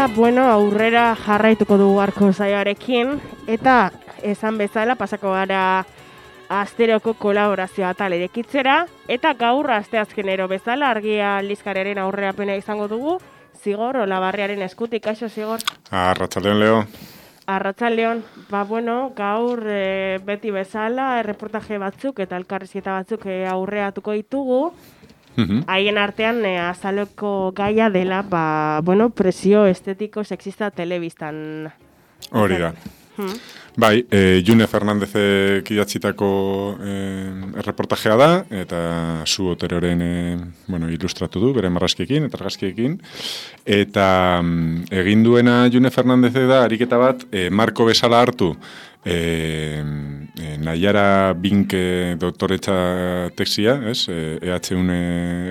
Eta, aurrera jarraituko dugu gaurko saioarekin, eta esan bezala pasako gara asteroko kolaborazioa atal irekitzera, eta gaur asteazkenero bezala Argia aldizkariaren aurrerapena izango dugu, Zigor Olabarriaren eskutik. Kaixo, Zigor? Arratsaldeon, Leo. Arratsaldeon, gaur beti bezala erreportaje batzuk eta elkarrizketa batzuk aurreatuko ditugu. Haien artean azaleko gaia dela, presio estetiko sexista telebistan. Hori da. Bai, June Fernandezek idatzitako erreportajea da, eta zu Oteroren ilustratu du, bere marrazkiekin eta argazkiekin. Eta egin duena June Fernandezek da, ariketa bat, marko bezala hartu, Naiara Binke doktoretza tesia, EHUn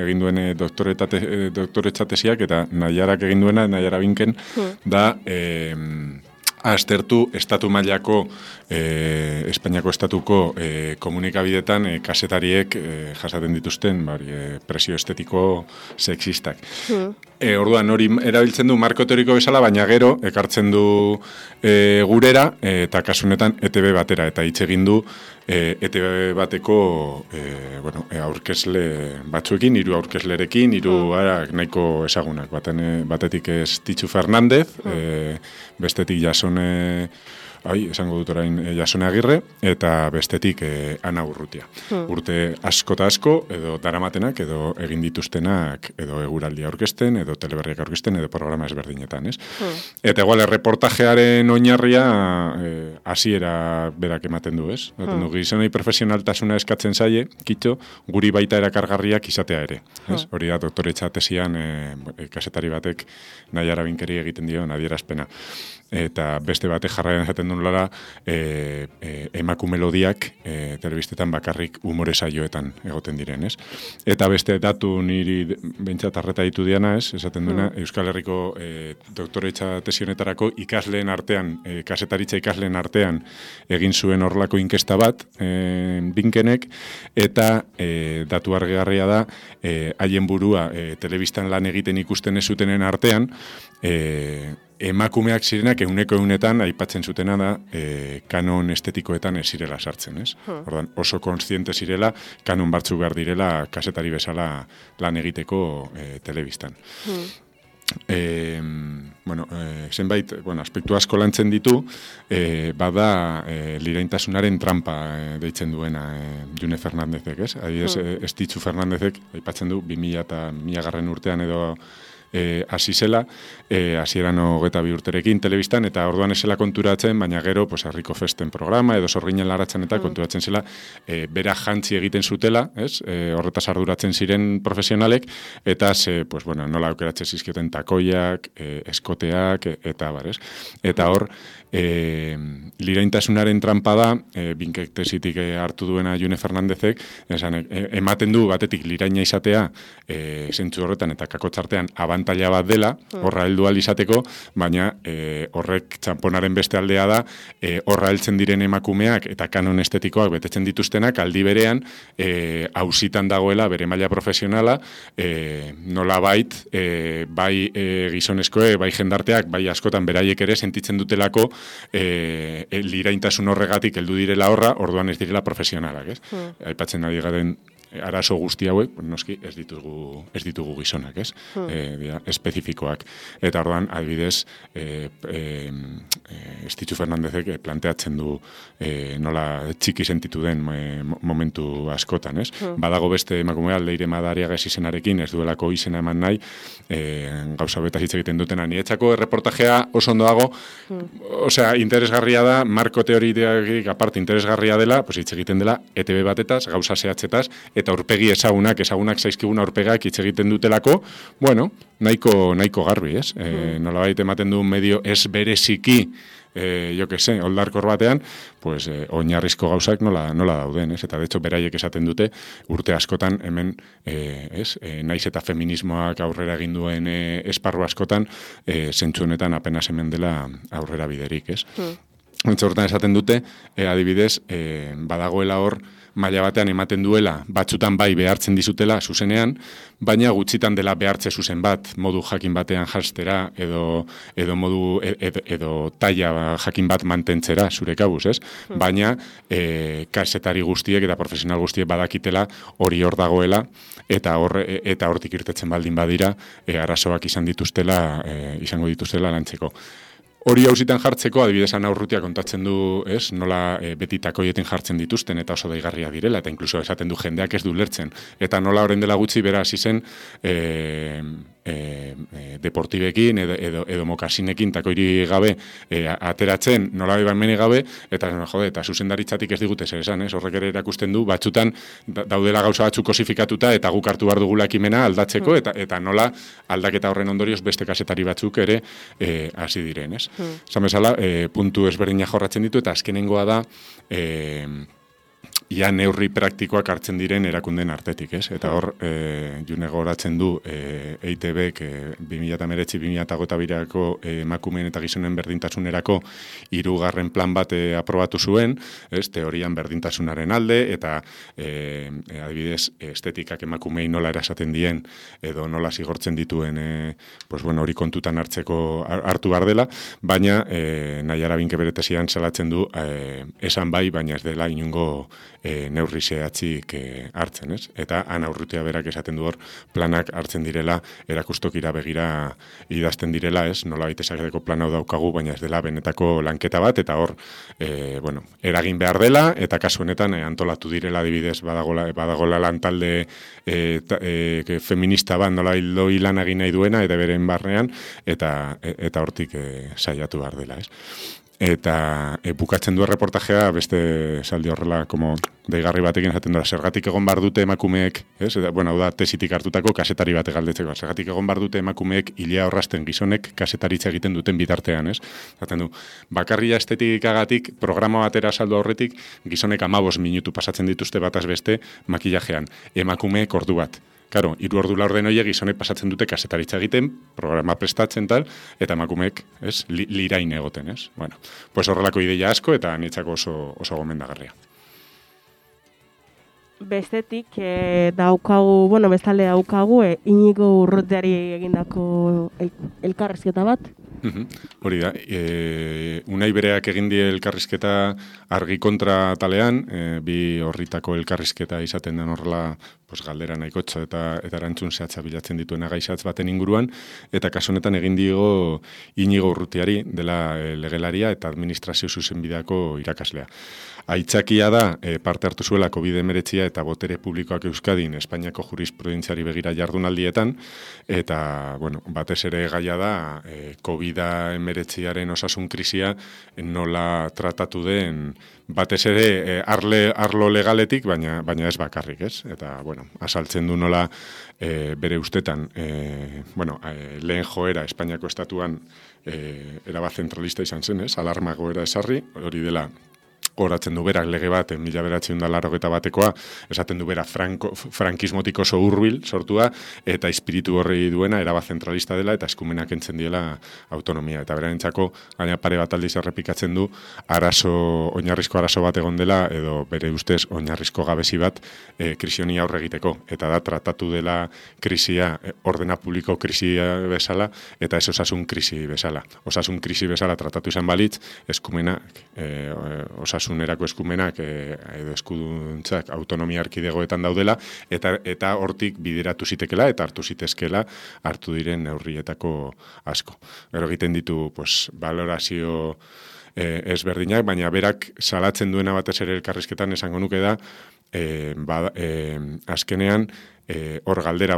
egin duen doktoretza tesiak, eta Naiarak egin duena, Naiara Binken, da aztertu estatu mailako, Espainiako estatuko komunikabidetan kasetariek jasaten dituzten presio estetiko sexistak. Orduan hori erabiltzen du marko teoriko bezala, baina gero ekartzen du gurera eta kasunetan ETB batera, eta hitz egin du ETB bateko aurkezle batzuekin, 3 aurkezlerekin, 3 nahiko ezagunak. Batetik Estitxu Fernandez, bestetik esango dut orain Jasone Agirre, eta bestetik Ana Urrutia. Urte asko eta asko, edo daramatenak, edo egin dituztenak, edo eguraldia aurkezten, edo teleberriak aurkezten, edo programa ezberdinetan, ez? Eta igual, erreportajearen oinarria hasiera berak ematen du, ez? Gizonei profesionaltasuna eskatzen zaie, kitxo, guri baita erakargarriak izatea ere. Hori da, doktoretza tesian kasetari batek Naiara Binkeri egiten dio adierazpena. Eta beste batek jarraian esaten duen lara, emakume melodiak telebistetan bakarrik umore saioetan egoten diren, ez? Eta beste datu niri behintzat arreta ditu diana, ez? Esaten duena, Euskal Herriko doktoretza tesionetarako ikasleen artean, kasetaritza ikasleen artean egin zuen horlako inkesta bat, Binkenek, eta datu argigarria da, haien burua telebistan lan egiten ikusten ez zutenen artean, emakumeak zirenak 100%etan aipatzen zutena da kanon estetikoetan ez zirela sartzen, ez? Ordan oso kontziente zirela kanon batzuk behar direla kasetari bezala lan egiteko telebistan. Zenbait, aspektu asko lantzen ditu, bada liraintasunaren trampa deitzen duena June Fernandezek, ez? Adibidez, Estitxu Fernandezek aipatzen du 2000 urtean edo hasi zela, hasieran 22 urterekin telebistan, eta orduan esela konturatzen, baina gero, Herriko Festen programa, edo Sorginen laratzen eta konturatzen zela, bera jantzi egiten zutela, horretaz arduratzen ziren profesionalek, eta nola aukeratzen zizkioten takoiak, eskoteak, eta barez. Eta hor, liraintasunaren trampa da, Binkek tesitik hartu duena June Fernandezek, ematen du batetik liraina izatea, zentzu horretan eta kakotzartean abantaila bat dela, horra heldu ahal izateko, baina horrek txamponaren beste aldea da, horra heltzen diren emakumeak eta kanon estetikoak betetzen dituztenak, aldi berean, auzitan dagoela bere maila profesionala, nola bai gizonezkoek, bai jendarteak, bai askotan beraiek ere sentitzen dutelako liraintasun horregatik heldu direla horra, orduan ez direla profesionalak, ez? Aipatzen ari garen arazo guzti hauek, noski ez ditugu gizonak, ez? Espezifikoak. Eta orduan, adibidez, Estitxu Fernandezek planteatzen du nola txiki sentitu den momentu askotan, ez? Badago beste emakumea, Leire Madariaga izenarekin, ez duelako izena eman nahi, gauza betaz hitz egiten dutena. Niretzako erreportajea oso ondo dago, osea, interesgarria da, marko teoriak aparte interesgarria dela, hitz egiten dela, ETB batetaz, gauza zehatzetaz, eta aurpegi ezagunak zaizkiguna aurpegak hitz egiten dutelako, nahiko garbi, ez? Nolabait ematen du medio ez bereziki, oldarkor batean, oinarrizko gauzak nola dauden, ez? Eta de hecho beraiek esaten dute urte askotan hemen, naiz eta feminismoak aurrera egin duen esparru askotan, zentzu honetan apenas hemen dela aurrera biderik, ez? Hortan esaten dute, adibidez, badagoela hor, maila batean ematen duela, batzutan bai behartzen dizutela zuzenean, baina gutxitan dela behartze zuzen bat, modu jakin batean jastera, edo modu, edo taila jakin bat mantentzera, zure kabuz, ez? Baina, kasetari guztiek eta profesional guztiek badakitela hori hor dagoela, eta hortik irtetzen baldin badira, arazoak izango dituztela lantzeko. Hori hausitan jartzeko, adibidez Anaurrutia kontatzen du, ez, nola beti takoietin jartzen dituzten eta oso daigarria direla, eta inkluso esaten du jendeak ez du lertzen. Eta nola orain dela gutxi bera hasi zen deportibekin edo mokasinekin takoiri gabe ateratzen, nola baimene gabe, eta eta zuzendaritzatik ez digute zer esan, ez, horrek ere erakusten du, batzutan daudela gauza batzuk kosifikatuta eta guk hartu behar dugula ekimena aldatzeko, eta nola aldaketa horren ondorioz beste kasetari batzuk ere hasi diren, ez. Esan bezala, puntu ezberdinak jorratzen ditu, eta azkenengoa da, ia neurri praktikoak hartzen diren erakunden artetik, ez? Eta hor, june goratzen du EITB-ek 2019-2022ko emakumeen eta gizonen berdintasunerako 3. plan bat aprobatu zuen, ez? Teorian berdintasunaren alde, eta adibidez, estetikak emakumei nola erasaten dien, edo nola zigortzen dituen, hori kontutan hartu behar dela, baina Naiara Binke bere tesian salatzen du esan bai, baina ez dela inungo neurri zehatzik hartzen, ez? Eta Anaurrutia berak esaten du hor planak hartzen direla, erakustokira begira idazten direla, ez? Nola baitezaketeko plan hau daukagu, baina ez dela benetako lanketa bat, eta hor, eragin behar dela, eta kasu honetan antolatu direla adibidez badagola lantalde feminista bat nola hildoi lan egin nahi duena, eta beren barnean, eta hortik saiatu behar dela, ez? Eta bukatzen du reportajea beste saldi horrela deigarri batekin esaten dira, zergatik egon bar dute emakumeek, ez? Hau da tesitik hartutako kasetari batek galdetzeko, zergatik egon bar dute emakumeek ilea orrasten gizonek kasetaritza egiten duten bitartean, ez? Zaten du, bakarria estetikagatik programa batera saldu aurretik gizonek 15 minutu pasatzen dituzte bataz beste makillajean, emakumeek ordu bat. Karo, 3 ordu laurden horiek gizonek pasatzen dute kasetaritza egiten, programa prestatzen tal, eta emakumeek, ez, lirain egoten, ez? Bueno, pues horrelako ideia asko eta niretzako oso gomendagarria. Bestetik bestalde daukagu Iñigo Urrutiari egindako elkarrizketa bat. Hori da, Unai bereak egin die elkarrizketa Argi kontra talean, bi horritako elkarrizketa izaten den horrela galdera nahikotxo eta erantzun zehatza bilatzen dituen gaizatz baten inguruan, eta kasu honetan egin dio Iñigo Urrutiari, dela legelaria eta administrazio zuzenbideako irakaslea. Aitzakia da, parte hartu zuela COVID-19 eta botere publikoak Euskadin Espainiako jurisprudentziari begira jardunaldietan, eta, batez ere gaia da, COVID-19aren osasun krisia nola tratatu den, batez ere arlo legaletik, baina ez bakarrik, ez? Eta, asaltzen du nola bere ustetan, lehen joera Espainiako estatuan erabat zentralista izan zen, ez? Alarma goera esarri, hori dela goratzen du berak lege bat, 1981koa, esaten du bera frankismotik oso hurbil sortua, eta espiritu horri duena erabat zentralista dela, eta eskumenak entzen diela autonomia. Eta berentzako, gaina pare bat aldiz errepikatzen du, oinarrizko arazo bat egon dela, edo bere ustez oinarrizko gabezi bat krisioni aurre egiteko. Eta da, tratatu dela krisia, ordena publiko krisia bezala, eta ez osasun krisi bezala. Osasun krisi bezala tratatu izan balitz, eskumenak, osasunerako eskumenak edo eskuduntzak autonomia erkidegoetan daudela, eta hortik bideratu zitekela eta hartu zitezkela hartu diren neurrietako asko. Gero egiten ditu valorazio ezberdinak, baina berak salatzen duena batez ere elkarrizketan esango nuke da, azkenean hor galdera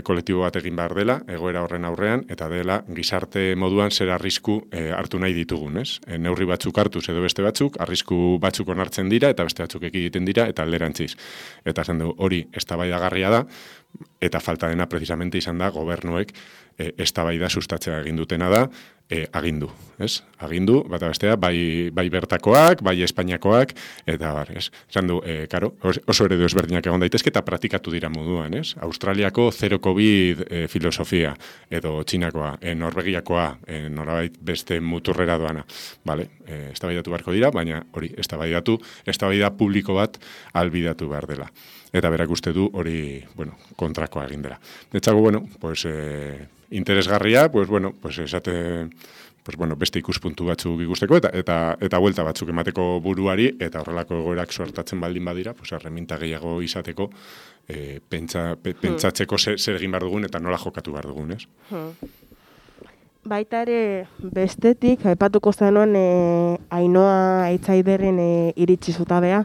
kolektibo bat egin behar dela, egoera horren aurrean, eta dela gizarte moduan zer arrisku hartu nahi ditugun, ez? Neurri batzuk hartuz edo beste batzuk, arrisku batzuk onartzen dira, eta beste batzuk egiten dira, eta alderantziz. Eta zen du, hori eztabaidagarria da, eta falta dena precisamente izan da gobernuek eztabaida sustatzea egin dutena da, agindu, ez? Agindu, bata bestea, bai bertakoak, bai Espainiakoak, eta bar, ez? Esan du, karo, oso eredu ezberdinak egon daitezke eta praktikatu dira moduan, ez? Australiako zero COVID filosofia, edo Txinakoa, Norvegiakoa, norabait beste muturrera doana. Bale, eztabaidatu beharko dira, baina hori, eztabaida publiko bat albidatu behar dela. Eta berak uste du hori, bueno, kontrakoa egin dela. Etzago, bueno, pues, interesgarria, pues, bueno, pues, beste ikuspuntu batzuk ikusteko, eta buelta batzuk emateko buruari, eta horrelako egoerak suertatzen baldin badira, pues, erreminta gehiago izateko, pentsatzeko zer egin behar dugun, eta nola jokatu behar dugun, ez? Baita ere, bestetik, aipatuko zenuen Ainhoa Eitzaiderren iritsi zutabea.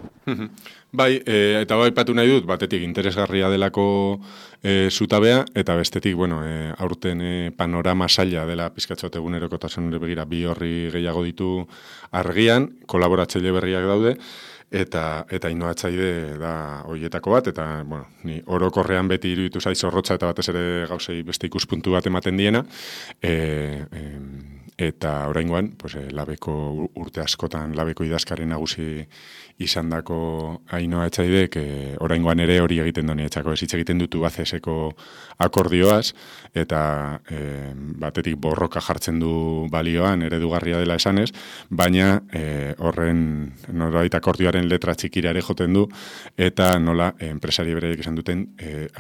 Bai, eta aipatu nahi dut, batetik interesgarria delako zutabea, eta bestetik, bueno, aurten panorama saila dela pizkatxote egunerokotasunera begira bi horri gehiago ditu argian, kolaboratzaile berriak daude, eta Ainhoa Eitzaide da horietako bat, eta, bueno, ni orokorrean beti iruditu zaiz zorrotza eta batez ere gauzei beste ikuspuntu bat ematen diena, eta oraingoan, pues, labeko urte askotan labeko idazkari nagusi izandako Ainhoa Eitzaidek oraingoan ere hori egiten doni etxako, ez hitz egiten dutu Tubacexeko akordioaz, eta batetik borroka jartzen du balioan eredugarria dela esanez, baina horren norbait akordioaren letra txikira ere joten du, eta nola enpresari bereiek esan duten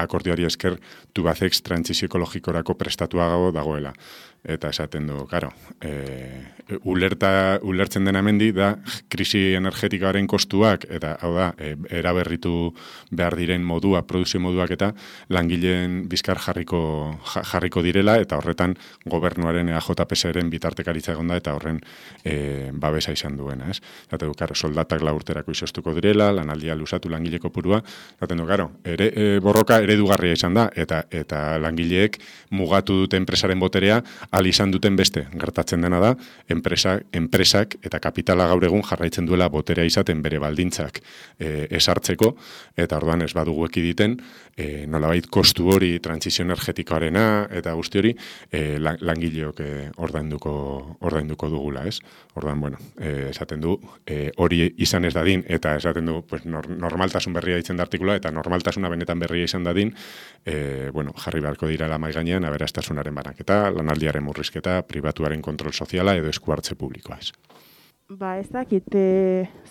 akordioari esker Tubacex trantsizio ekologikorako prestatuago dagoela. Eta esaten du, karo, ulertzen dena hemendi da krisi energetikoaren kostuak, eta hau da, eraberritu behar diren modua, produzio moduak eta langileen bizkar jarriko direla, eta horretan gobernuaren EAJPSren bitartekaritza egon da, eta horren babesa izan duena, ez? Zaten du, karo, soldatak 4 urterako izostuko direla, lanaldia luzatu langile kopurua, zaten du, karo, borroka eredugarria izan da, eta langileek mugatu dute enpresaren boterea, izan duten beste, gertatzen dena da, enpresak eta kapitala gaur egun jarraitzen duela boterea izaten bere baldintzak esartzeko, eta orduan ez badugu ekiditen, nolabait kostu hori trantsizio energetikoarena eta guzti hori langileok ordainduko dugula, ez? Orduan, bueno, esaten du, hori izan ez dadin, eta esaten du, pues, normaltasun berria ditzen da artikula, eta normaltasuna benetan berria izan dadin, bueno, jarri beharko dira mahai gainean aberastasunaren banaketa, lanaldiaren murrizketa, pribatuaren kontrol soziala edo esku hartze publikoa, ez. Ba, ez dakit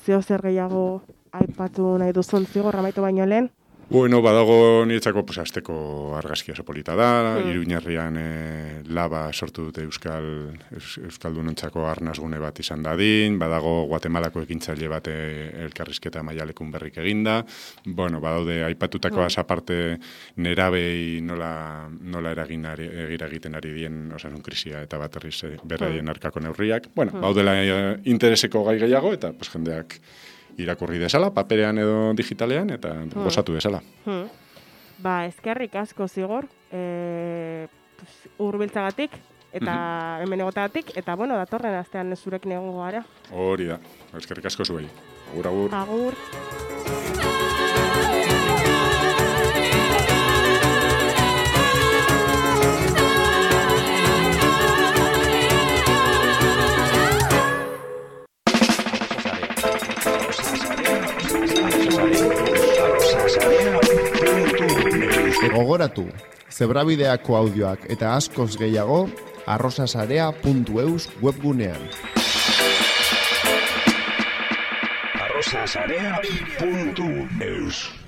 zeo zer gehiago aipatu nahi duzun zigor amaitu baino lehen? Bueno, badago niretzako, pues, azteko argazki oso polita da, Iruñerrian laba sortu dute Euskaldunontzako arnazgune bat izan dadin, badago Guatemalako ekintzaile bat elkarrizketa maialekun berrik eginda, bueno, badaude aipatutakoaz aparte nerabei nola egiten ari dien osasun krisia eta baterriz berraien arkako neurriak, bueno, baudela intereseko gai gehiago eta pues, jendeak irakurri desala, paperean edo digitalean, eta gozatu desala. Ba, eskerrik asko zigor, hurbiltzagatik, eta hemen egotagatik, eta, bueno, datorren astean zurekin egongo gara. Hori da, eskerrik asko zuei. Agur, agur. Agur. Gogoratu, Zebrabideako audioak eta askoz gehiago arrosasarea.eus webgunean. arrosasarea.eus